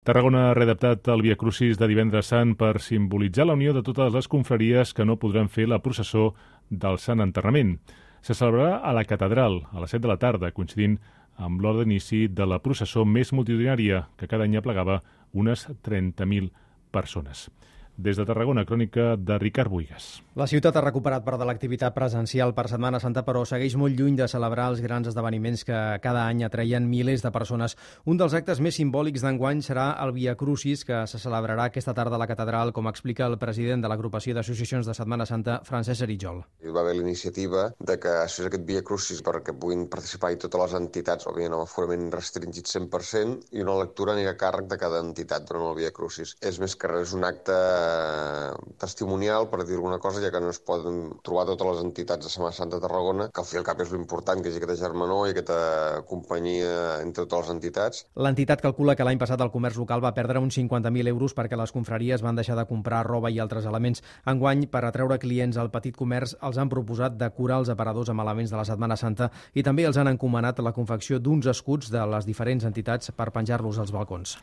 Tarragona ha readaptat el Via Crucis de Divendres Sant per simbolitzar la unió de totes les confraries que no podran fer la processó del Sant Enterrament. Se celebrarà a la Catedral a les 7 de la tarda, coincidint amb l'hora d'inici de la processó més multitudinària, que cada any aplegava unes 30.000 persones. Des de Tarragona, crònica de Ricard Buigas. La ciutat ha recuperat part de l'activitat presencial per Setmana Santa, però segueix molt lluny de celebrar els grans esdeveniments que cada any atreien milers de persones. Un dels actes més simbòlics d'enguany serà el Via Crucis, que se celebrarà aquesta tarda a la Catedral, com explica el president de l'agrupació d'associacions de Setmana Santa, Francesc Aritjol. Hi va haver la iniciativa de que es fes aquest Via Crucis perquè puguin participar-hi totes les entitats, òbviament amb aforament restringit 100%, i una lectura anirà a càrrec de cada entitat durant el Via Crucis. És més que res un acte testimonial, per dir alguna cosa, ja que no es poden trobar totes les entitats de Setmana Santa de Tarragona, que al fi i al cap és l'important, que hi hagi aquesta germanor i aquesta companyia entre totes les entitats. L'entitat calcula que l'any passat el comerç local va perdre uns 50.000 euros perquè les confraries van deixar de comprar roba i altres elements. Enguany, per atreure clients al petit comerç, els han proposat decorar els aparadors amb elements de la Setmana Santa i també els han encomanat la confecció d'uns escuts de les diferents entitats per penjar-los als balcons.